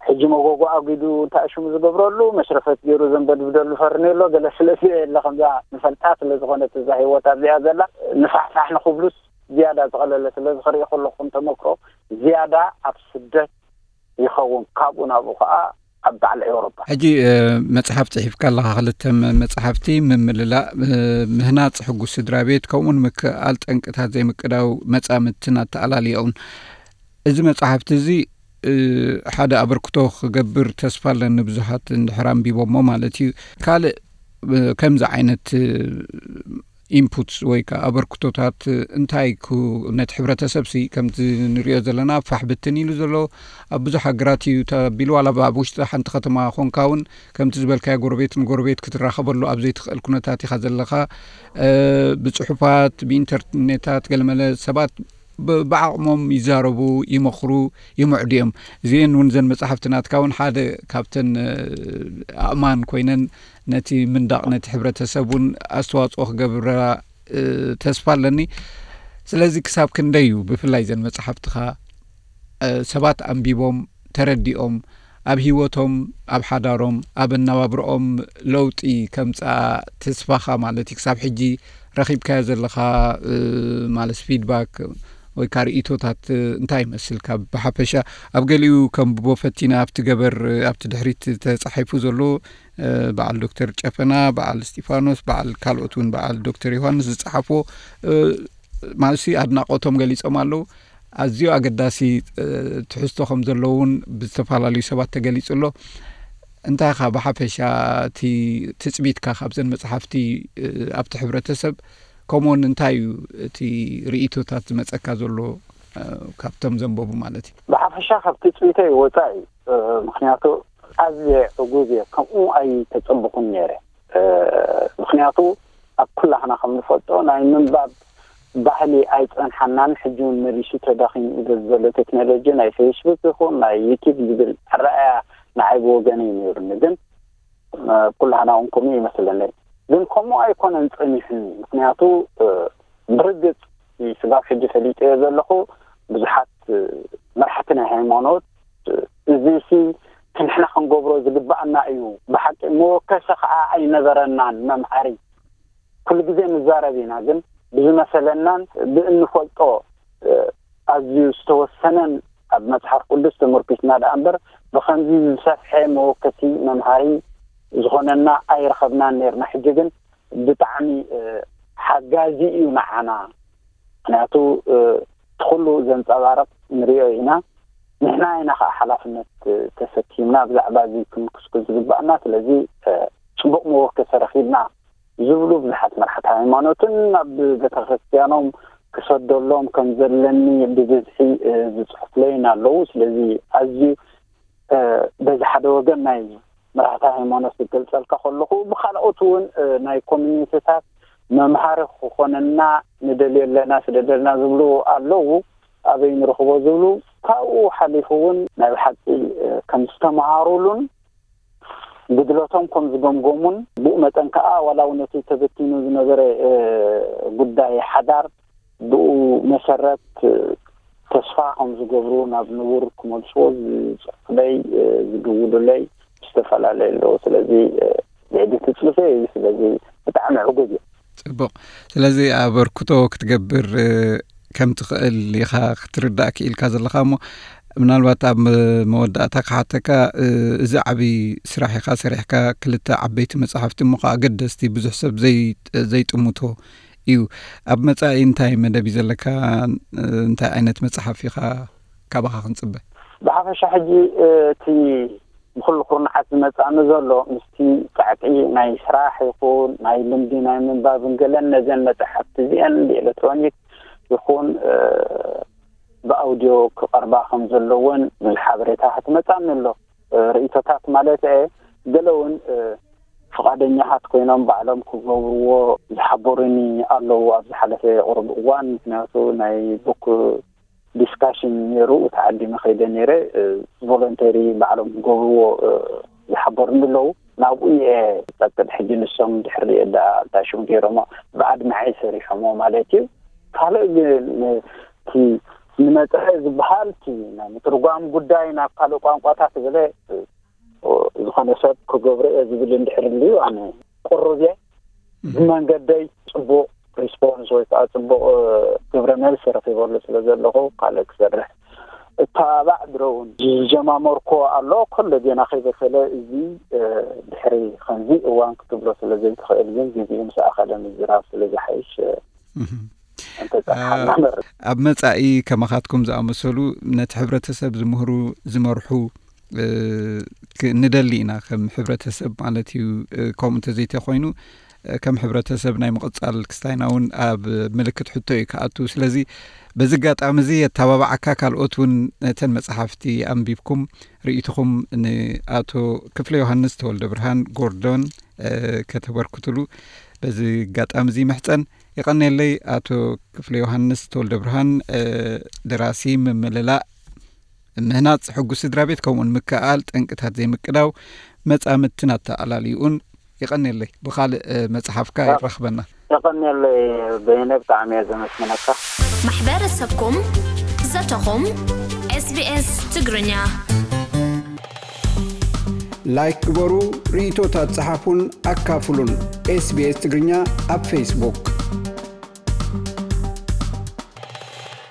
ሕጂ መጎጎ ኣጒዱ እንታይ ሽሙ ዝገብረሉ መሽረፈት ገይሩ ዘንበድብደሉ ፈርኔሎ ገለ ስለ ዘየለ፣ ከምዛ ንፈልጣ ስለ ዝኾነት እዛ ህይወት ኣብዚኣ ዘላ ንፋሕፋሕ ንኽብሉስ ዝያዳ ዝቐለለ ስለ ዝኽርኢ ከለኹም ተመክሮ ዝያዳ ኣብ ስደት ይኸውን። ካብኡ ናብኡ ከዓ ኣብ በዓል ኤውሮጳ። ሕጂ መጽሓፍ ጽሒፍካ ኣለኻ፣ ክልተ መጽሓፍቲ፣ ምምላእ፣ ምህናጽ ሕጉስ ስድራ ቤት፣ ከምኡውን ምክእኣል ጠንቅታት ዘይምቅዳው መጻምድትን ኣተኣላልያኡን። እዚ መጽሓፍቲ እዚ ሓደ ኣበርክቶ ክገብር ተስፋ ኣለኒ፣ ብዙሓት እንድሕር ኣንቢቦሞ ማለት እዩ። ካልእ ከምዚ ዓይነት ኢንፑትስ ወይ ከዓ ኣበርክቶታት እንታይ ነቲ ሕብረተሰብ ሲ ከምቲ ንሪኦ ዘለና ፋሕ ብትን ኢሉ ዘሎ ኣብ ብዙሕ ሃገራት እዩ ተቢሉ። ዋላ ኣብ ውሽጢ ሓንቲ ከተማ ኮንካ እውን ከምቲ ዝበልካዮ ጎረቤት ንጎረቤት ክትራኸበሉ ኣብ ዘይትኽእል ኩነታት ኢኻ ዘለኻ። ብፅሑፋት ብኢንተርኔታት ገለመለ ሰባት ብዓቕሞም ይዛረቡ፣ ይመኽሩ፣ ይምዕዱ እዮም። እዚአን እውን ዘን መፅሓፍቲ ናትካ እውን ሓደ ካብተን ኣእማን ኮይነን ነቲ ምንዳቕ ነቲ ሕብረተሰብ እውን ኣስተዋፅኦ ክገብራ ተስፋ ኣለኒ። ስለዚ ክሳብ ክንደይ እዩ ብፍላይ ዘን መፅሓፍትኻ ሰባት ኣንቢቦም ተረዲኦም ኣብ ህይወቶም ኣብ ሓዳሮም ኣብ ኣነባብርኦም ለውጢ ከምፅኣ ተስፋኻ ማለት እዩ? ክሳብ ሕጂ ረኺብካዮ ዘለኻ ማለት ፊድባክ ወይ ከዓ ርእይቶታት እንታይ ይመስል? ካብ ብሓፈሻ ኣብ ገሊኡ ከንብቦ ፈቲነ ኣብቲ ገበር ኣብቲ ድሕሪት ተፃሒፉ ዘሎ በዓል ዶክተር ጨፈና፣ በዓል እስጢፋኖስ፣ በዓል ካልኦት እውን በዓል ዶክተር ዮሃንስ ዝፀሓፍዎ ማለት ኣድናቆቶም ገሊፆም ኣለዉ። ኣዝዩ ኣገዳሲ ትሕዝቶ ከም ዘለውን ብዝተፈላለዩ ሰባት ተገሊጹ ኣሎ። እንታይ ኻ ብሓፈሻ እቲ ትጽቢትካ ካብዘን መጽሓፍቲ ኣብቲ ሕብረተሰብ ከምኡውን እንታይ እዩ እቲ ርእይቶታት ዝመጸካ ዘሎ ካብቶም ዘንበቡ ማለት እዩ? ብሓፈሻ ካብ ትጽቢተይ ወጻኢ እዩ። ምክንያቱ ኣዝየ ዕጉብ እየ። ከምኡ ኣይተጸብኹን ነይረ። ምክንያቱ ኣብ ኩላህና ከም ንፈልጦ ናይ ምንባብ ባህሊ ኣይጸንሓናን። ሕጂ እውን መሊሱ ተዳኺሙ እዩ በዚ ዘሎ ቴክኖሎጂ ናይ ፌስቡክ ይኹን ናይ ዩቲብ ዝብል ኣረኣያ ንዓይ ብወገነይ ነይሩኒ። ግን ኩላህና እውን ከምኡ ይመስለኒ። ግን ከምኡ ኣይኮነን ጸኒሑኒ። ምክንያቱ ብርግጽ ስጋብ ሕጂ ፈሊጠዮ ዘለኹ ብዙሓት መራሕቲ ናይ ሃይማኖት እዚ ሲ ንሕና ክንገብሮ ዝግባኣና እዩ። ብሓቂ መወከሲ ከዓ ኣይነበረናን መምሃሪ። ኩሉ ግዜ ንዛረብ ኢና፣ ግን ብዝመሰለናን ብእንፈልጦ ኣዝዩ ዝተወሰነን ኣብ መጽሓፍ ቅዱስ ተመርኪስና ደኣ እምበር ብኸምዚ ዝሰፍሐ መወከሲ መምሃሪ ዝኾነና ኣይረኸብናን ነርና። ሕጂ ግን ብጣዕሚ ሓጋዚ እዩ ንዓና። ምክንያቱ እቲ ኩሉ ዘንጸባርቕ ንሪኦ ኢና። ንሕና ኢና ከዓ ሓላፍነት ተሰኪምና ብዛዕባ እዚ ክንክስኩስ ዝግባኣና። ስለዚ ጽቡቕ መወከሲ ረኺብና ዝብሉ ብዙሓት መራሕቲ ሃይማኖትን ኣብ ቤተክርስትያኖም ክሰደሎም ከም ዘለኒ ብብዝሒ ዝፅሕፍለይን ኣለዉ። ስለዚ ኣዝዩ በዚ ሓደ ወገን ናይ መራሕቲ ሃይማኖት ክገልጸልካ ከለኹ፣ ብካልኦት እውን ናይ ኮሚኒቲታት መምሃሪ ክኾነና ንደልዮ ኣለና፣ ስደደልና ዝብሉ ኣለዉ። ኣበይ ንረኽቦ ዝብሉ፣ ካብኡ ሓሊፉ እውን ናይ ብሓቂ ከም ዝተምሃሩሉን ጉድለቶም ከም ዝገምገሙን፣ ብኡ መጠን ከዓ ዋላ እውን እቲ ተበቲኑ ዝነበረ ጉዳይ ሓዳር ብኡ መሰረት ተስፋ ከም ዝገብሩ ናብ ንቡር ክመልስዎ ዝፅሑፍለይ ዝድውሉለይ ዝተፈላለየ ኣለዉ። ስለዚ ልዕሊ ትፅቢተይ እዩ። ስለዚ ብጣዕሚ ዕጉብ እየ። ፅቡቕ። ስለዚ ኣበርክቶ ክትገብር ከም ትኽእል ኢኻ ክትርዳእ ክኢልካ ዘለኻ እሞ ምናልባት ኣብ መወዳእታ ክሓተካ እዚ ዓብዪ ስራሕ ኢኻ ሰሪሕካ ክልተ ዓበይቲ መፅሓፍቲ እሞ ከዓ ኣገደስቲ ብዙሕ ሰብ ዘይጥምቶ እዩ። ኣብ መጻኢ እንታይ መደብ እዩ ዘለካ? እንታይ ዓይነት መጽሓፍ ኢኻ ካባኻ ክንጽበ? ብሓፈሻ ሕጂ እቲ ብኩሉ ኩርናዓት መጻኒ ዘሎ ምስቲ ጻዕቂ ናይ ስራሕ ይኹን ናይ ልምዲ ናይ ምንባብን ገለን ነዘን መጻሕፍቲ እዚአን ብኤሌክትሮኒክ ይኹን ብኣውዲዮ ክቐርባ ከም ዘለወን ብዙሕ ሓበሬታ ክትመጻኒ ኣሎ። ርእይቶታት ማለት እየ። ገለ እውን ፍቓደኛታት ኮይኖም ባዕሎም ክገብርዎ ዝሓበሩኒ ኣለዉ ኣብ ዝሓለፈ ቁሩብ እዋን። ምክንያቱ ናይ ቡክ ዲስካሽን ነይሩ፣ ተዓዲመ ከይደ ነይረ። ቮለንተሪ ባዕሎም ክገብርዎ ዝሓበሩኒ ኣለዉ። ናብኡ እየ ጸቅጥ ሕጂ ንሶም ድሕሪ ዳ እንታይ ሽም ገይሮሞ ብኣድማዒ ሰሪሖሞ ማለት እዩ። ካልእ ግን እቲ ንመጸሐ ዝበሃል እቲ ናይ ምትርጓም ጉዳይ ናብ ካልእ ቋንቋታት ገለ ዝኾነ ሰብ ክገብሮ እየ ዝብል እንድሕር ልዩ ኣነ ቅሩብ እየ። ብመንገደይ ጽቡቕ ሪስፖንስ ወይ ከዓ ጽቡቕ ግብረ መልሲ ረኺበሉ ስለ ዘለኹ ካልእ ክሰርሕ እተባባዕ ድረውን ዝጀማመርኮ ኣሎ። ከሎ ዜና ከይበሰለ እዚ ድሕሪ ከምዚ እዋን ክትብሎ ስለ ዘይትኽእል ግን ግዜኡ ምስ ኣኸለ ምዝራብ ስለ ዝሓይሽ እንተፀሓና መር ኣብ መጻኢ ከማኻትኩም ዝኣመሰሉ ነቲ ሕብረተሰብ ዝምህሩ ዝመርሑ ንደሊ ኢና ከም ሕብረተሰብ ማለት እዩ። ከምኡ እንተዘይተኮይኑ ከም ሕብረተሰብ ናይ ምቕጻል ክስታይና እውን ኣብ ምልክት ሕቶ እዩ ክኣቱ። ስለዚ በዚ ኣጋጣሚ እዚ ኣተባባዓካ ካልኦት እውን ነተን መጽሓፍቲ ኣንቢብኩም ርእይትኹም ንኣቶ ክፍለ ዮሃንስ ተወልደ ብርሃን ጎርዶን ከተበርክትሉ በዚ ኣጋጣሚ እዚ ምሕጸን። የቐኔለይ ኣቶ ክፍለ ዮሃንስ ተወልደ ብርሃን፣ ደራሲ፣ ምምልላእ፣ ምህናጽ ሕጉስ ስድራ ቤት ከምኡውን ምክእኣል ጠንቅታት ዘይምቅዳው መጻምድትን ኣተኣላልይኡን። የቐኔለይ። ብኻልእ መጽሓፍካ ይራኽበና። የቐኔለይ በይነ ብጣዕሚ እየ ዘመስግነካ። ማሕበረሰብኩም ዘተኹም ኤስቢኤስ ትግርኛ ላይክ ግበሩ፣ ርእይቶታት ጸሓፉን ኣካፍሉን። ኤስቢኤስ ትግርኛ ኣብ ፌስቡክ።